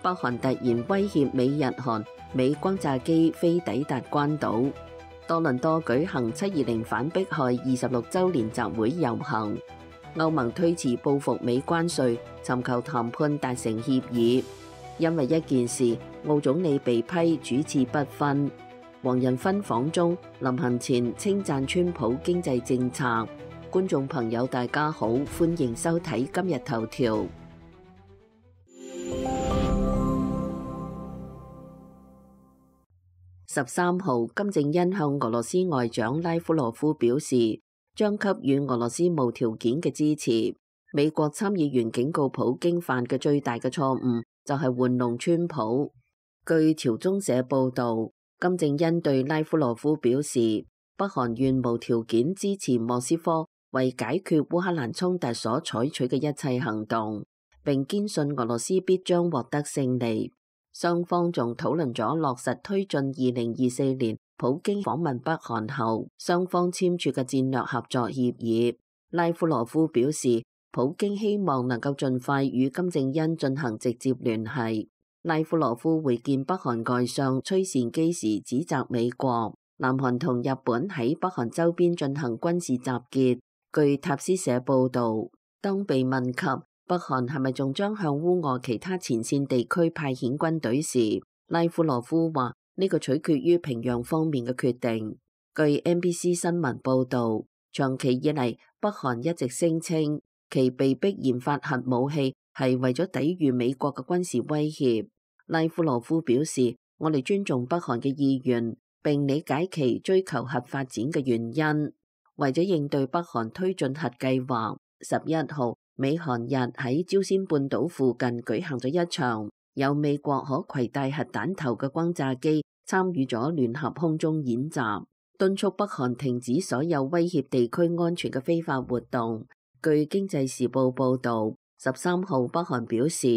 北韓突然威脅美日韓，美轟炸機飛抵達關島。多倫多舉行720反迫害26週年集會遊行。歐盟推遲報復美關稅，尋求談判達成協議。因為一件事，澳總理被批主次不分。黃仁勳訪中，臨行前稱讚川普經濟政策。觀眾朋友大家好，歡迎收睇今日頭條。13號，金正恩向俄羅斯外長拉夫羅夫表示，將給予俄羅斯無條件嘅支持。美國參議員警告普京犯嘅最大嘅錯誤就係玩弄川普。據朝中社報導，金正恩對拉夫羅夫表示，北韓願無條件支持莫斯科為解決烏克蘭衝突所採取嘅一切行動，並堅信俄羅斯必將獲得勝利。雙方仲討論咗落實推進2024年普京訪問北韓後，雙方簽署嘅戰略合作協議。拉夫羅夫表示，普京希望能夠盡快與金正恩進行直接聯繫。拉夫羅夫會見北韓外相崔善基時指責美國、南韓同日本喺北韓周邊進行軍事集結。據塔斯社報導，當被問及北韓係咪仲將向烏俄其他前線地區派遣軍隊時，拉夫羅夫話呢個取決於平壤方面嘅決定。據 NBC 新聞報導，長期以嚟北韓一直聲稱其被迫研發核武器係為咗抵禦美國嘅軍事威脅。拉夫羅夫表示，我哋尊重北韓嘅意願，並理解其追求核發展嘅原因。為咗應對北韓推進核計劃，11號美韓日喺朝鮮半島附近舉行咗一場有美國可攜帶核彈頭嘅轟炸機參與咗聯合空中演習，敦促北韓停止所有威脅地區安全嘅非法活動。據經濟時報報導，13號北韓表示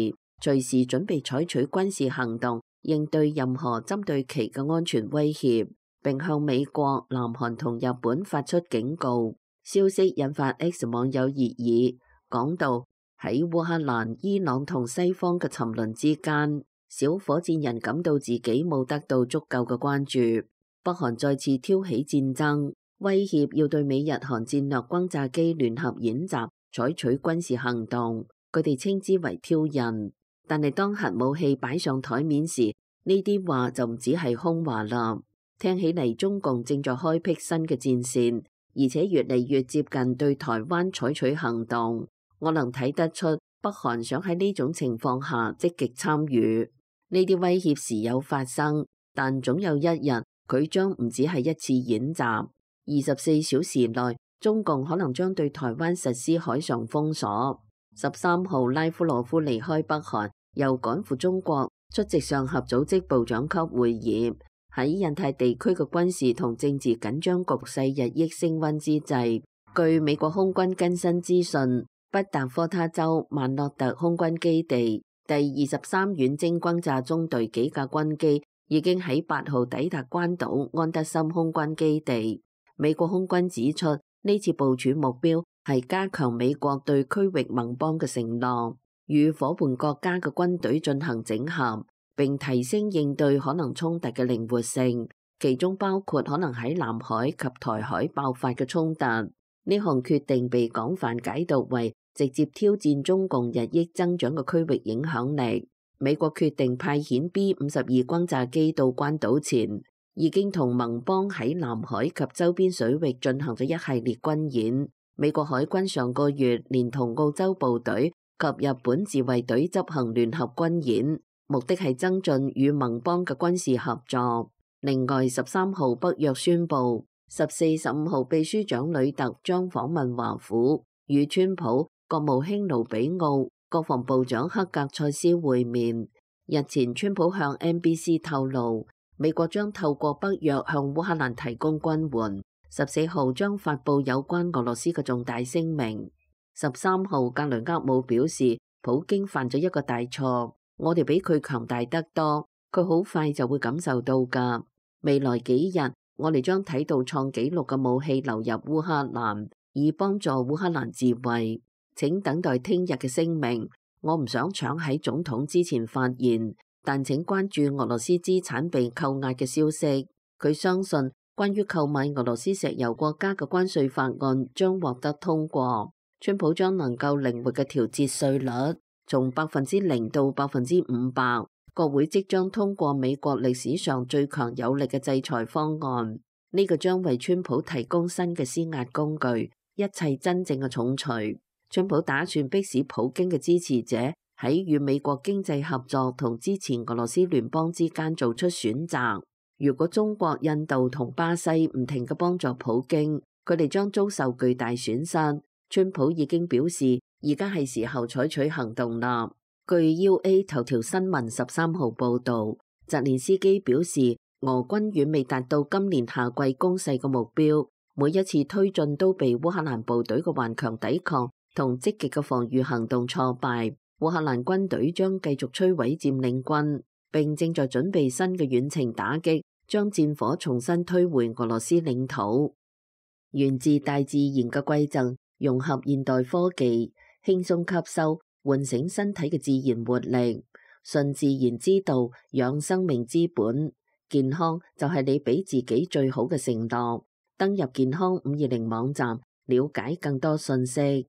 隨時準備採取軍事行動應對任何針對其嘅安全威脅，並向美國、南韓同日本發出警告。消息引發 X 網友熱議，講到喺烏克蘭、伊朗同西方嘅沉淪之間，小火箭人感到自己冇得到足夠嘅關注。北韓再次挑起戰爭，威脅要對美日韓戰略轟炸機聯合演習採取軍事行動，佢哋稱之為挑釁。但係當核武器擺上台面時，呢啲話就唔只係空話啦。聽起嚟中共正在開闢新嘅戰線，而且越嚟越接近對台灣採取行動。我能睇得出北韓想喺呢種情況下積極參與。呢啲威脅時有發生，但總有一日佢將唔只係一次演習。24小時內，中共可能將對台灣實施海上封鎖。13號拉夫羅夫離開北韓，又趕赴中國出席上合組織部長級會議。喺印太地區嘅軍事同政治緊張局勢日益升溫之際，據美國空軍更新資訊，北達科他州曼諾特空軍基地第23遠征轟炸中隊幾架軍機已經喺8號抵達關島安德森空軍基地。美國空軍指出，呢次部署目標係加強美國對區域盟邦嘅承諾，與夥伴國家嘅軍隊進行整合，並提升應對可能衝突嘅靈活性，其中包括可能喺南海及台海爆發嘅衝突。呢項決定被廣泛解讀為直接挑戰中共日益增長嘅區域影響力。美國決定派遣 B-52轟炸機到關島前，已經同盟邦喺南海及周邊水域進行咗一系列軍演。美國海軍上個月連同澳洲部隊及日本自衛隊執行聯合軍演，目的係增進與盟邦嘅軍事合作。另外，13號北約宣布，14、15號秘書長呂特將訪問華府，與川普、國務卿盧比奧、國防部長克格塞斯會面。日前，川普向 NBC 透露，美國將透過北約向烏克蘭提供軍援。14號將發布有關俄羅斯嘅重大聲明。13號格雷厄姆表示，普京犯咗一個大錯。我哋比佢強大得多，佢好快就會感受到㗎。未來幾日，我哋將睇到創紀錄嘅武器流入烏克蘭，以幫助烏克蘭自衛。請等待聽日嘅聲明。我唔想搶喺總統之前發言，但請關注俄羅斯資產被扣押嘅消息。佢相信關於購買俄羅斯石油國家嘅關稅法案將獲得通過，川普將能夠靈活嘅調節稅率，從0%到500%。國會即將通過美國歷史上最強有力嘅制裁方案，呢個將為川普提供新嘅施壓工具，一切真正嘅重錘。川普打算迫使普京嘅支持者喺與美國經濟合作同支持俄羅斯聯邦之間做出選擇。如果中國、印度同巴西唔停嘅幫助普京，佢哋將遭受巨大損失。川普已經表示，而家係時候採取行動啦。據 UA 頭條新聞13號報導，澤連斯基表示，俄軍遠未達到今年夏季攻勢嘅目標，每一次推進都被烏克蘭部隊嘅頑強抵抗同積極嘅防禦行動挫敗。烏克蘭軍隊將繼續摧毀佔領軍，並正在準備新嘅遠程打擊，將戰火重新推回俄羅斯領土。源自大自然嘅饋贈，融合現代科技，輕鬆吸收，喚醒身體嘅自然活力。順自然之道，養生命之本。健康就係你俾自己最好嘅承諾。登入健康520網站，了解更多信息。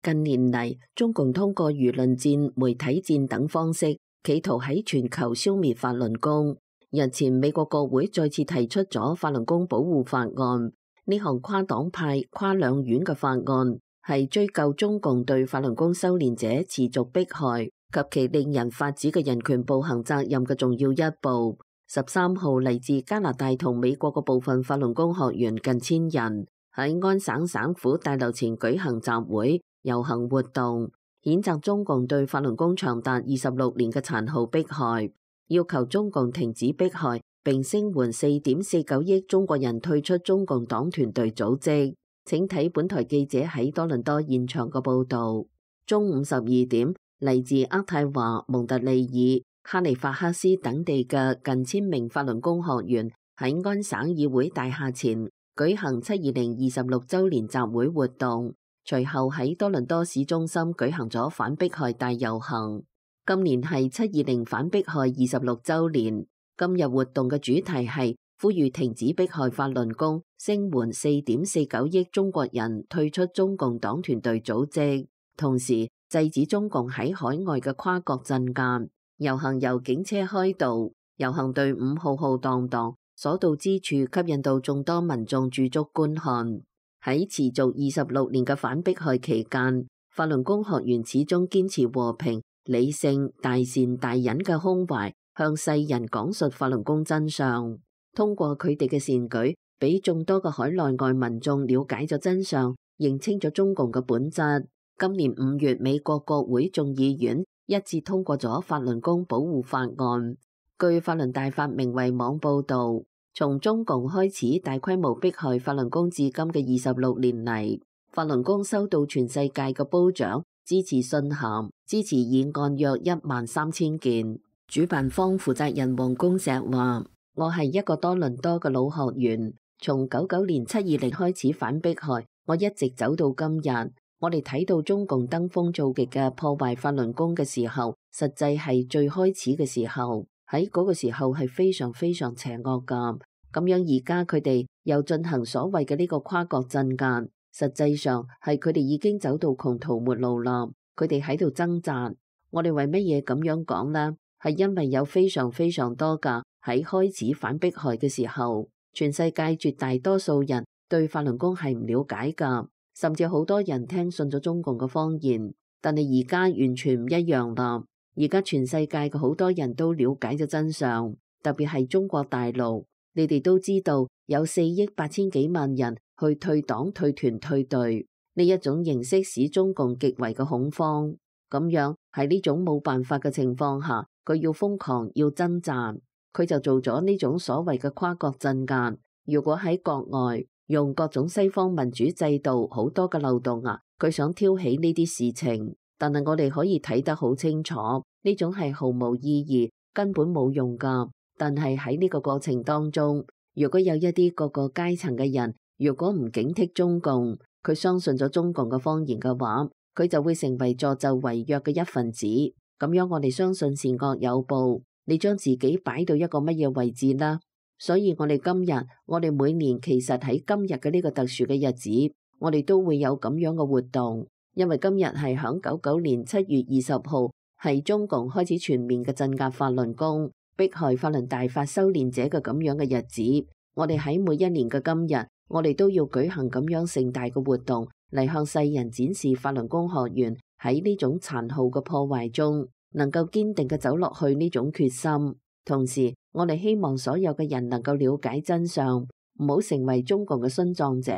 近年嚟，中共通過輿論戰、媒體戰等方式，企圖喺全球消滅法輪功。日前，美國國會再次提出咗法輪功保護法案。呢項跨黨派、跨兩院嘅法案，係追究中共對法輪功修煉者持續迫害及其令人髮指嘅人權暴行責任嘅重要一步。13號嚟自加拿大同美國嘅部分法輪功學員近1000人喺安省省府大樓前舉行集會遊行活動，譴責中共對法輪功長達26年嘅殘酷迫害，要求中共停止迫害，並聲援4.49億中國人退出中共黨團隊組織。請睇本台記者喺多倫多現場嘅報導。中午12點，嚟自渥太華、蒙特利爾、哈利法克斯等地嘅近1000名法輪功學員喺安省議會大廈前舉行720 26週年集會活動，隨後喺多倫多市中心舉行咗反迫害大遊行。今年係720反迫害26週年，今日活動嘅主題係呼籲停止迫害法輪功，聲援4.49億中國人退出中共黨團隊組織，同時制止中共喺海外嘅跨國鎮壓。遊行由警車開道，遊行隊伍浩浩蕩蕩，所到之處吸引到眾多民眾駐足觀看。喺持續26年嘅反迫害期間，法輪功學員始終堅持和平、理性、大善大忍嘅胸懷，向世人講述法輪功真相。通過佢哋嘅善舉，俾眾多嘅海內外民眾了解咗真相，認清咗中共嘅本質。今年5月，美國國會眾議院一致通過咗法輪功保護法案。據法輪大法明慧網報導，從中共開始大規模迫害法輪功至今嘅26年嚟，法輪功收到全世界嘅褒獎、支持信函、支持議案約13000件。主辦方負責人黃公石話：我係一個多倫多嘅老學員，從99年720開始反迫害，我一直走到今日。我哋睇到中共登峰造極嘅破壞法輪功嘅時候，實際係最開始嘅時候，喺嗰個時候係非常非常邪惡㗎。咁樣而家佢哋又進行所謂嘅呢個跨國鎮壓，實際上係佢哋已經走到窮途末路啦。佢哋喺度掙扎。我哋為乜嘢咁樣講呢？係因為有非常非常多㗎喺開始反迫害嘅時候，全世界絕大多數人對法輪功係唔了解㗎。甚至好多人聽信咗中共嘅謊言，但係而家完全唔一樣啦。而家全世界嘅好多人都了解咗真相，特別係中國大陸。你哋都知道有4億8千幾萬人去退黨、退團、退隊，呢一種形式使中共極為嘅恐慌。咁樣喺呢種冇辦法嘅情況下，佢要瘋狂要掙扎，佢就做咗呢種所謂嘅跨國鎮壓。如果喺國外，用各種西方民主制度好多嘅漏洞啊，佢想挑起呢啲事情，但係我哋可以睇得好清楚，呢種係毫無意義，根本冇用㗎。但係喺呢個過程當中，如果有一啲各個階層嘅人，如果唔警惕中共，佢相信咗中共嘅謊言嘅話，佢就會成為助紂為虐嘅一份子。咁樣我哋相信善惡有報，你將自己擺到一個乜嘢位置啦？所以我哋今日，我哋每年其實喺今日嘅呢個特殊嘅日子，我哋都會有咁樣嘅活動，因為今日係響99年7月20號，係中共開始全面嘅鎮壓法輪功、迫害法輪大法修煉者嘅咁樣嘅日子。我哋喺每一年嘅今日，我哋都要舉行咁樣盛大嘅活動，嚟向世人展示法輪功學員喺呢種殘酷嘅破壞中，能夠堅定嘅走落去呢種決心。同時，我哋希望所有嘅人能夠了解真相，唔好成為中共嘅殉葬者。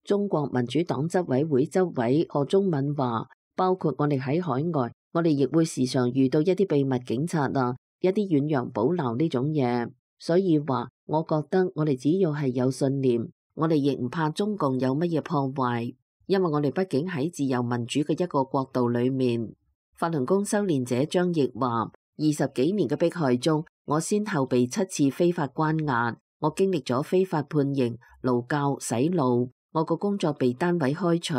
中國民主黨執委會執委賀中敏話，包括我哋喺海外，我哋亦會時常遇到一啲秘密警察啊，一啲遠洋保撈呢種嘢。所以話，我覺得我哋只要係有信念，我哋亦唔怕中共有乜嘢破壞，因為我哋畢竟喺自由民主嘅一個國度裏面。法輪功修煉者張毅話，20幾年嘅迫害中，我先後被7次非法關押，我經歷咗非法判刑、勞教、洗腦，我個工作被單位開除，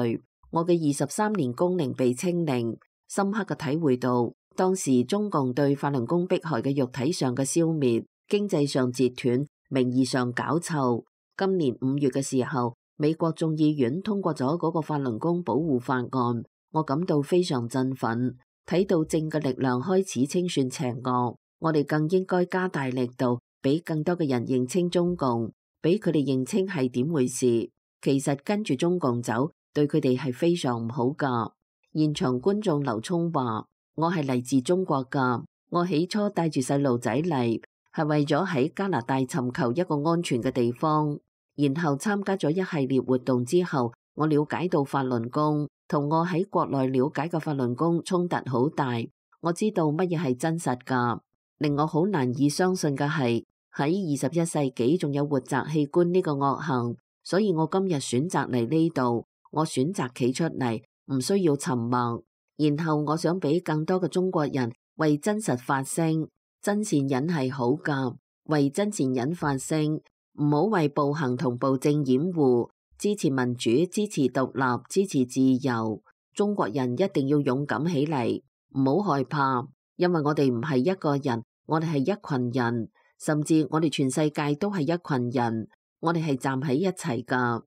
我嘅23年工齡被清零，深刻嘅體會到當時中共對法輪功迫害嘅肉體上嘅消滅，經濟上截斷，名義上搞臭。今年5月嘅時候，美國眾議院通過咗嗰個法輪功保護法案，我感到非常振奮，睇到正嘅力量開始清算邪惡。我哋更應該加大力度，俾更多嘅人認清中共，俾佢哋認清係點回事。其實跟住中共走，對佢哋係非常唔好噶。現場觀眾劉聰話：我係嚟自中國噶，我起初帶住細路仔嚟，係為咗喺加拿大尋求一個安全嘅地方。然後參加咗一系列活動之後，我了解到法輪功同我喺國內了解嘅法輪功衝突好大。我知道乜嘢係真實噶。令我好難以相信嘅係喺21世紀仲有活摘器官呢個惡行，所以我今日選擇嚟呢度，我選擇企出嚟，唔需要沉默。然後我想俾更多嘅中國人為真實發聲，真善忍係好噶，為真善忍發聲，唔好為暴行同暴政掩護，支持民主，支持獨立，支持自由。中國人一定要勇敢起嚟，唔好害怕。因為我哋唔係一個人，我哋係一群人，甚至我哋全世界都係一群人，我哋係站喺一齊噶。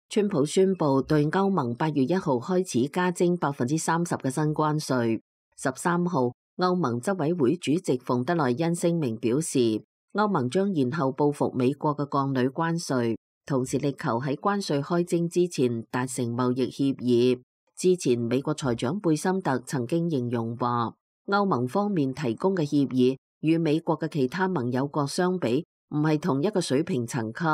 川普宣布對歐盟8月1號開始加徵30%嘅新關稅。13號，歐盟執委會主席馮德萊恩聲明表示，歐盟將延後報復美國嘅鋼鋁關稅，同時力求喺關稅開徵之前達成貿易協議。之前美國財長貝森特曾經形容話，歐盟方面提供嘅協議與美國嘅其他盟友國相比，唔係同一個水平層級，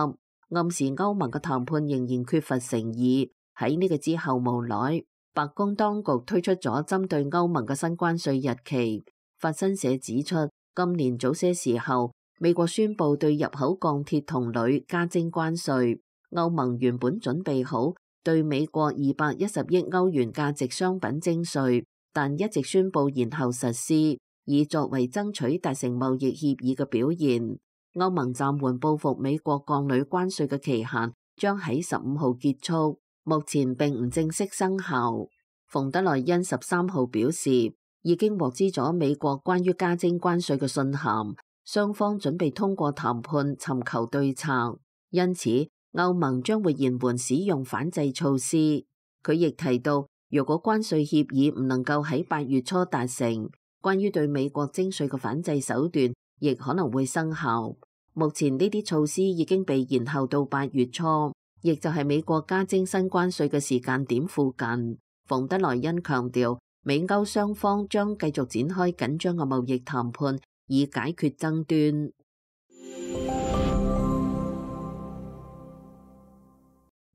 暗示歐盟嘅談判仍然缺乏誠意。喺呢個之後，無奈白宮當局推出咗針對歐盟嘅新關稅日期。法新社指出，今年早些時候，美國宣布對入口鋼鐵同鋁加徵關稅。歐盟原本準備好對美國210億歐元價值商品徵稅，但一直宣布延後實施，以作為爭取達成貿易協議嘅表現。歐盟暫緩報復美國鋼鋁關稅嘅期限將喺15號結束，目前並唔正式生效。馮德萊恩13號表示，已經獲知咗美國關於加徵關稅嘅信函，雙方準備通過談判尋求對策，因此歐盟將會延緩使用反制措施。佢亦提到，如果關稅協議唔能夠喺8月初達成，關於對美國徵稅嘅反制手段亦可能會生效。目前呢啲措施已經被延後到8月初，亦就係美國加徵新關稅嘅時間點附近。馮德萊恩強調，美歐雙方將繼續展開緊張嘅貿易談判，以解決爭端。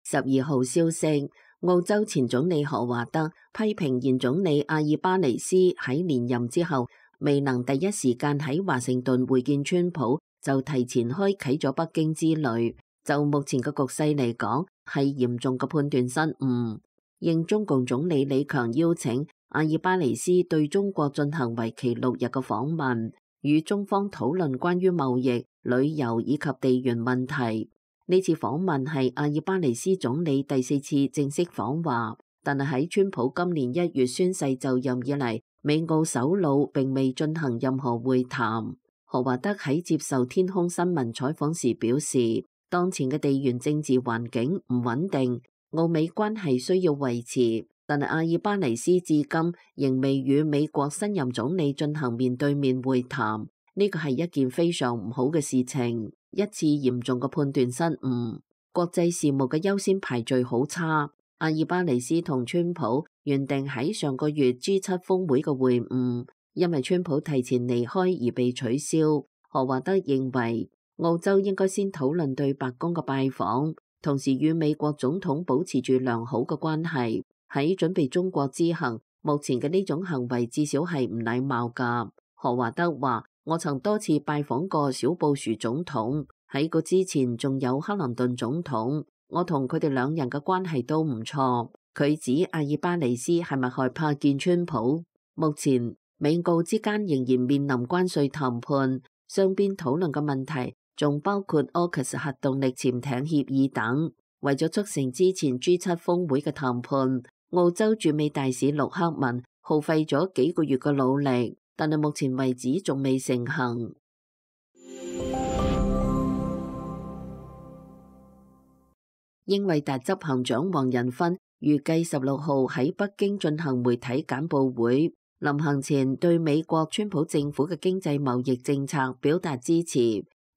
12號消息，澳洲前總理何華德批評現總理阿爾巴尼斯喺連任之後未能第一時間喺華盛頓會見川普，就提前開啟咗北京之旅。就目前嘅局勢嚟講，係嚴重嘅判斷失誤。應中共總理李強邀請，阿爾巴尼斯對中國進行為期6日嘅訪問。與中方討論關於貿易、旅遊以及地緣問題。呢次訪問係阿爾巴尼斯總理第4次正式訪華，但係喺川普今年1月宣誓就任以嚟，美澳首腦並未進行任何會談。何華德喺接受天空新聞採訪時表示，當前嘅地緣政治環境唔穩定，澳美關係需要維持，但係阿爾巴尼斯至今仍未與美國新任總理進行面對面會談，呢個係一件非常唔好嘅事情，一次嚴重嘅判斷失誤，國際事務嘅優先排序好差。阿爾巴尼斯同川普原定喺上個月 G7 峰會嘅會晤，因為川普提前離開而被取消。何華德認為澳洲應該先討論對白宮嘅拜訪，同時與美國總統保持住良好嘅關係。喺準備中國之行，目前嘅呢種行為至少係唔禮貌㗎。何華德話：我曾多次拜訪過小布殊總統，喺個之前仲有克林頓總統，我同佢哋兩人嘅關係都唔錯。佢指阿爾巴尼斯係咪害怕見川普？目前美澳之間仍然面臨關稅談判，雙邊討論嘅問題仲包括 AUKUS 核動力潛艇協議等。為咗促成之前 G7 峰會嘅談判，澳洲駐美大使陸克文耗費咗幾個月嘅努力，但係目前為止仲未成行。英偉達執行長黃仁勳預計16號喺北京進行媒體簡報會，臨行前對美國川普政府嘅經濟貿易政策表達支持。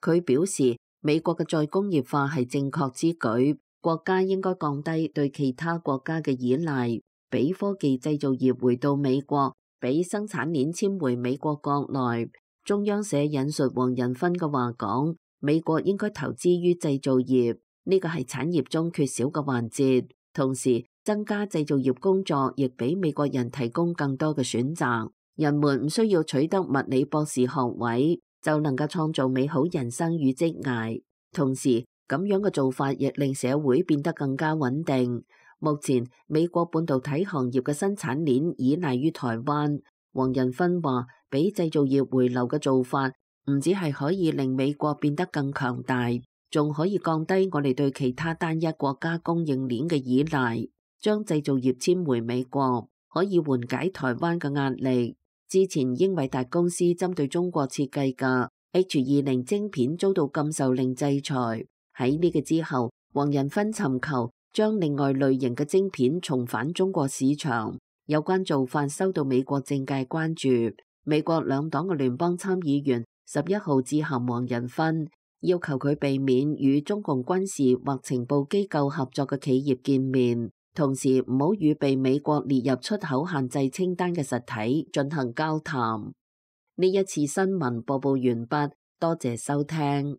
佢表示，美國嘅再工業化係正確之舉，國家應該降低對其他國家嘅依賴，俾科技製造業回到美國，俾生產鏈遷回美國國內。中央社引述黃仁勳嘅話講，美國應該投資於製造業，呢個係產業中缺少嘅環節，同時增加製造業工作，亦俾美國人提供更多嘅選擇。人們唔需要取得物理博士學位就能夠創造美好人生與職涯，同時咁樣嘅做法亦令社會變得更加穩定。目前美國半導體行業嘅生產鏈依賴於台灣。黃仁勳話，俾製造業回流嘅做法唔只係可以令美國變得更強大，仲可以降低我哋對其他單一國家供應鏈嘅依賴，將製造業遷回美國，可以緩解台灣嘅壓力。之前英偉達公司針對中國設計嘅 H20 晶片遭到禁售令制裁，喺呢個之後，黃仁勳尋求將另外類型嘅晶片重返中國市場。有關做法受到美國政界關注。美國兩黨嘅聯邦參議員11號致函黃仁勳，要求佢避免與中共軍事或情報機構合作嘅企業見面，同時唔好與被美國列入出口限制清單嘅實體進行交談。呢一次新聞播報完畢，多謝收聽。